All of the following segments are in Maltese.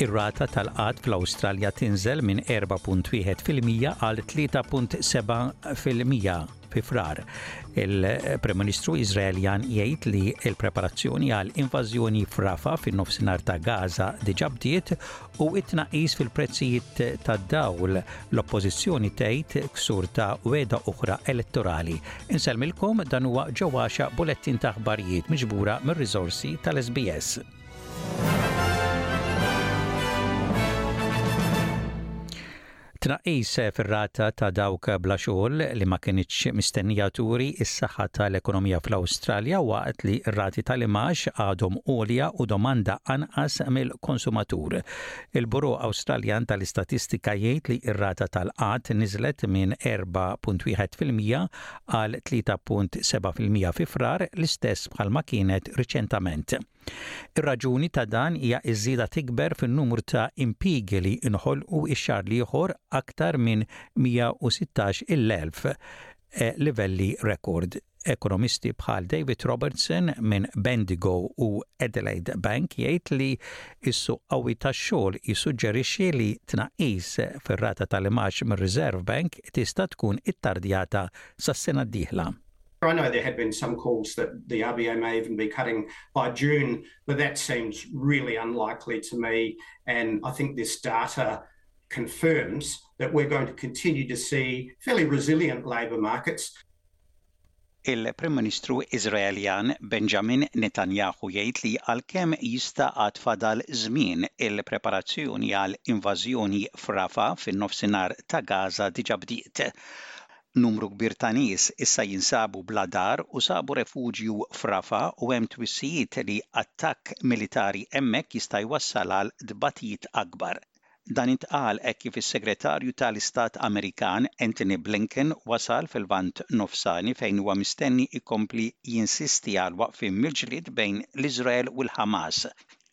Ir-rata tal-qgħad fl-Awstralja tinżel minn 4.1% għal 3.7% fi Frar. Il-Prim Ministru Iżraeljan jgħid li l-preparazzjoni għal invażjoni f'Rafah fin-nofsinhar ta' Gaza diġà bdiet u t-tnaqqis fil-prezzijiet tad-dawl l-Oppożizzjoni tgħid ksur ta' wegħda oħra elettorali. Insellmilkom dan huwa ġewwaxa bulettin ta' aħbarijiet miġbura mir-riżorsi tal-SBS. Tnaqqis fir-rata ta' dawk bla xogħol li ma kinitx mistennija turi s-saħħa tal-ekonomija fl-Awstralja waqt li r-rati tal-imgħax għadhom għolja u domanda anqas mill-konsumatur. Il-Bureau Awstraljan tal-Istatistika jgħid li r-rata tal-qgħad niżlet minn 4.1% għal 3.7% fi Frar, l-istess bħalma kienet riċentament. Ir-raġuni ta' dan hija ż-żieda tikber fin-numru ta' impjiegi li nħolqu x-xahar l-ieħor aktar minn 116 il-elf, livelli rekord. Ekonomisti bħal David Robertson minn Bendigo u Adelaide Bank jgħid li s-suq qawwi tax-xogħol jissuġġerixxi li tnaqqis fir-rata tal-imgħax mir-Reserve Bank tista' tkun ittardjata sas-sena d-dieħla. I know there have been some calls that the RBA may even be cutting by June, but that seems really unlikely to me. And I think this data confirms that we're going to continue to see fairly resilient labour markets. Il-Prim Ministru Iżraeljan Benjamin Netanyahu jgħid li għalkemm jista' għad fadal żmien il-preparazzjoni għal invażjoni f'Rafah fin-nofsinhar ta' Gaza diġà bdiet. Numru kbir ta' nies issa jinsabu bla dar u sabu refuġju f'Rafah u hemm twissijiet li attakk militari hemmhekk jista' jwassal għal tbatijiet akbar. Dan intqal hekk kif is-Segretarju tal-Istat Amerikan Antony Blinken wasal fil-Lvant Nofsani fejn huwa mistenni jkompli jinsisti għal waqfien mill-ġlied bejn l-Iżrael u l-Ħamas.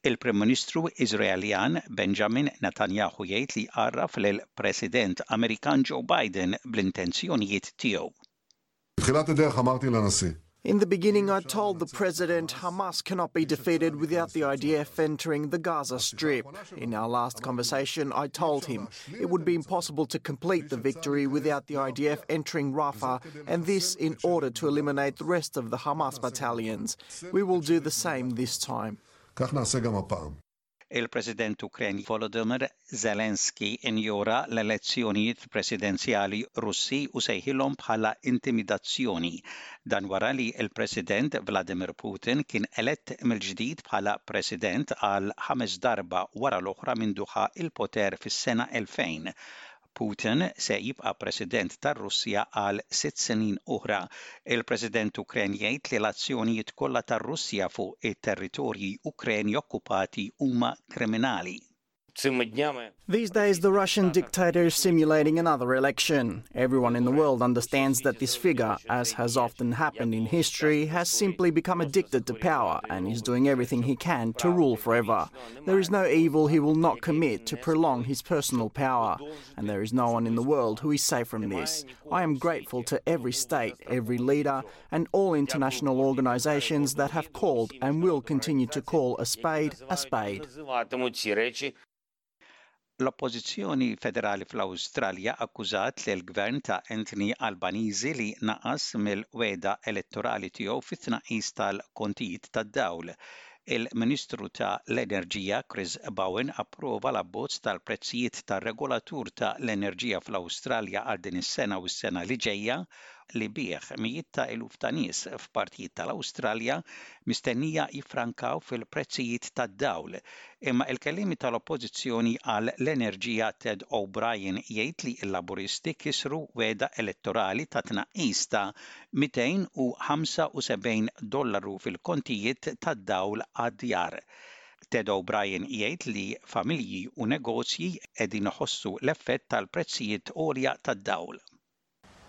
Il-Prim Ministru Iżraeljan Benjamin Netanyahu jgħid li għarraf lill-President Amerikan Joe Biden bl-intenzjonijiet tiegħu. In the beginning I told the president Hamas cannot be defeated without the IDF entering the Gaza Strip. In our last conversation I told him it would be impossible to complete the victory without the IDF entering Rafah and this in order to eliminate the rest of the Hamas battalions. We will do the same this time. Il-President Ukren Volodymyr Zelensky injora l-elezzjonijiet presidenzjali Russi u sejħilhom bħala intimidazzjoni. Dan wara li l-President Vladimir Putin kien elett mill-ġdid bħala President għal ħames darba wara l-oħra mindu ħa l-poter fis-sena 2000. Putin se jibqa' President tar-Russja għal sitt snin oħra. Il-President Ukren jgħid li l-azzjonijiet kollha tar-Russja fuq it-territorji Ukreni okkupati huma kriminali. These days, the Russian dictator is simulating another election. Everyone in the world understands that this figure, as has often happened in history, has simply become addicted to power and is doing everything he can to rule forever. There is no evil he will not commit to prolong his personal power, and there is no one in the world who is safe from this. I am grateful to every state, every leader, and all international organizations that have called and will continue to call a spade a spade. L-Oppożizzjoni Federali fl-Awstralja akkużat lill-Gvern ta' Anthony Albanese li naqas mill-wegħda elettorali tiegħu fit-tnaqqis tal-kontijiet tad-dawl. Il-Ministru ta' l-Enerġija Chris Bowen approva l-abbozz tal-prezzijiet tar-regolatur ta' l-enerġija fl-Awstralja għal din is-sena u s-sena li ġejja li bih mijiet ta' eluf ta' nies f'partijiet tal-Awstralja mistennija jiffrankaw fil-prezzijiet tad-dawl. Imma il-kelliemi tal-Oppożizzjoni għal l-Enerġija Ted O'Brien jgħid li l-Laburisti kisru wegħda elettorali ta' tnaqqis ta' 275 dollaru fil-kontijiet tad-dawl għad-djar. Ted O'Brien jgħid li familji u negozji qegħdin iħossu l-effett tal-prezzijiet għolja tad-dawl.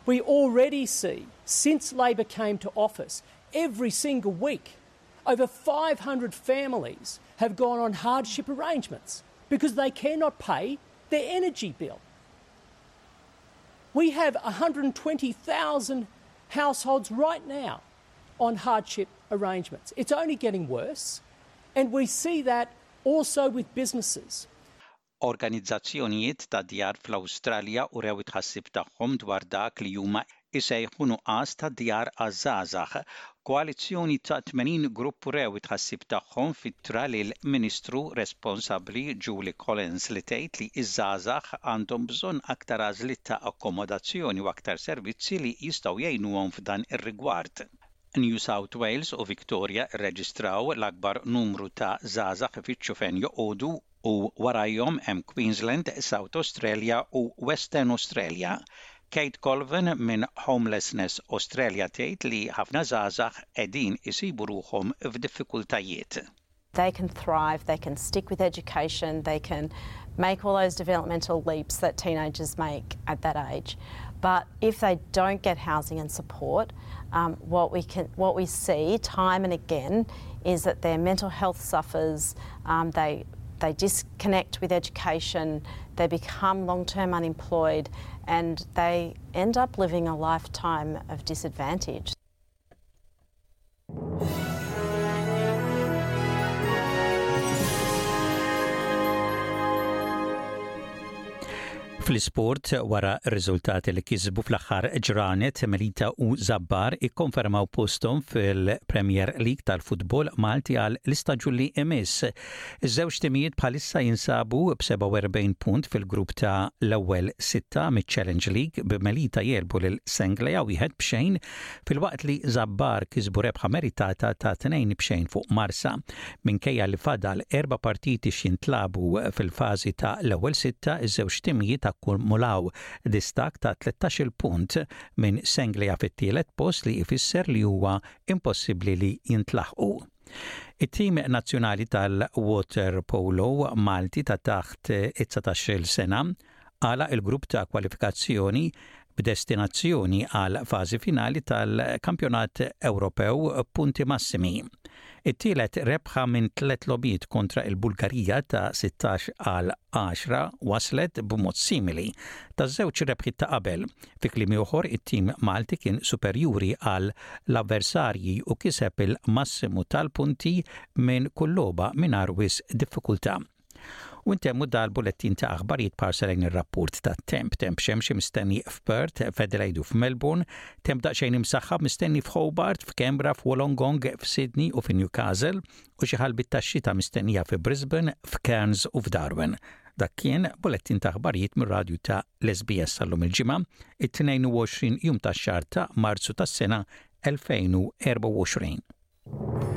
We already see, since Labor came to office, every single week, over 500 families have gone on hardship arrangements because they cannot pay their energy bill. We have 120,000 households right now on hardship arrangements. It's only getting worse, and we see that also with businesses. Organizzazzjonijiet ta' djar fl-Awstralja urew it-tħassib tagħhom dwar dak li huma jsejħu nuqqas ta' djar għaż-żgħażagħ. Koalizzjoni ta' 80 grupp urew it-tħassib tagħhom f'ittra lill-Ministru responsabbli Julie Collins li tgħid li ż-żgħażagħ għandhom bżonn aktar għażliet ta' akkomodazzjoni u aktar servizzi li jistgħu jgħinuhom f'dan ir-rigward. New South Wales u Victoria rreġistraw l-akbar numru ta' żgħażagħ ifittxu fejn joqogħdu u warajhom hemm Queensland, South Australia u Western Australia. Kate Colvin minn Homelessness Australia tgħid li ħafna żgħażagħ qegħdin isibu ruħhom f'diffikultajiet. They can thrive, they can stick with education, they can make all those developmental leaps that teenagers make at that age. But if they don't get housing and support, um, what we can, what we see time and again is that their mental health suffers, um, they they disconnect with education, they become long-term unemployed, and they end up living a lifetime of disadvantage. Fl-isport, wara r-riżultati li kisbu fl-aħħar ġranet, Melita u Zabbar ikkonfermaw posthom fil-Premier League tal-futbol Malti għal l-istaġun li imiss. Iż-żewġ timijiet bħalissa jinsabu b'47 punt fil-grupp ta' l-ewwel sitta miċ-Challenge League b'Melita jegħlbu lil Senglea wieħed b'xejn filwaqt li Zabbar kisbu rebħa meritata ta' 2-0 fuq Marsa. Minkejja li fadal erba' partiti x'jintlagħbu fil-fażi ta' l-ewwel sitta, iż-żewġ timijiet akkumulaw distakk ta' 13-il punt minn Senglea fit-tielet post li jfisser li huwa impossibbli li jintlaħqu. It-tim nazzjonali tal-waterpolo Malti ta' taħt it-dsatax-il sena għalaq il-grupp ta' kwalifikazzjoni b'destinazzjoni għal fażi finali tal-Kampjonat Ewropew b'punti massimi. It-tielet rebħa minn tliet logħbiet kontra l-Bulgarija ta' 16 għal 10 waslet b'mod simili taż-żewġ rebħiet ta' qabel. Fi kliem ieħor, it-tim Malti kien superjuri għal l-avversarji u kiseb il-massimu tal-punti minn kull logħba mingħajr wisq diffikultà. U ntemmu dal-bulettin ta' aħbarijiet b'ħarsa lejn ir-rapport tat-temp. Temp xemxi mistenni f'Perth, f'Adelaide u f'Melbourne, temp daqsxejn imsaħħab mistenni f'Hobart, f'Canberra, f'Wollongong, f'Sydney u fi Newcastle, u xi ħalbiet tax-xita mistennija fi Brisbane, f'Cairns u f'Darwin. Dak kien bulettin ta' aħbarijiet mir-radju ta' l-SBS għal-lum il-Ġimgħa, it-22 jum tax-xahar ta' Marzu tas-sena 2024.